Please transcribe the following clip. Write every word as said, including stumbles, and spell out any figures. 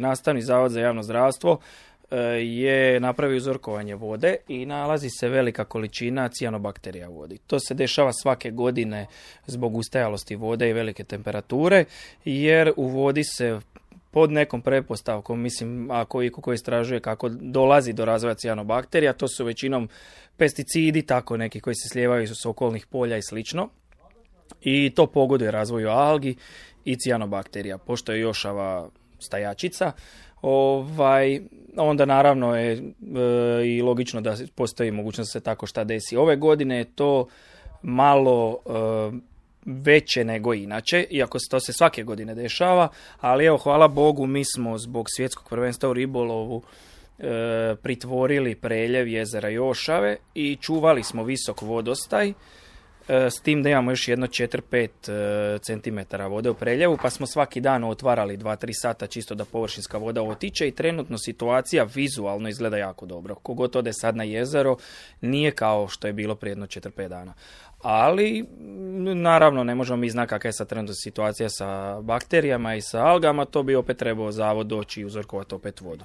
Nastavni zavod za javno zdravstvo je napravio uzorkovanje vode i nalazi se velika količina cijanobakterija u vodi. To se dešava svake godine zbog ustajalosti vode i velike temperature, jer u vodi se pod nekom pretpostavkom, mislim, ako iko ko istražuje kako dolazi do razvoja cijanobakterija, to su većinom pesticidi, tako neki koji se slijevaju s okolnih polja i slično. I to pogoduje razvoju algi i cijanobakterija. Pošto je jošava stajačica, ovaj, onda naravno je e, i logično da postoji mogućnost da se tako šta desi. Ove godine je to malo e, veće nego inače, iako to se svake godine dešava, ali evo, hvala Bogu, mi smo zbog svjetskog prvenstva u ribolovu e, pritvorili preljev jezera Jošave i čuvali smo visok vodostaj, s tim da imamo još jedno četiri do pet centimetara vode u preljevu, pa smo svaki dan otvarali dva do tri sata čisto da površinska voda otiče i trenutno situacija vizualno izgleda jako dobro. Kogod ode sad na jezero, nije kao što je bilo prije jedno četiri do pet dana. Ali, naravno, ne možemo mi znati kakva je sad trenutno situacija sa bakterijama i sa algama, to bi opet trebao zavod doći i uzorkovati opet vodu.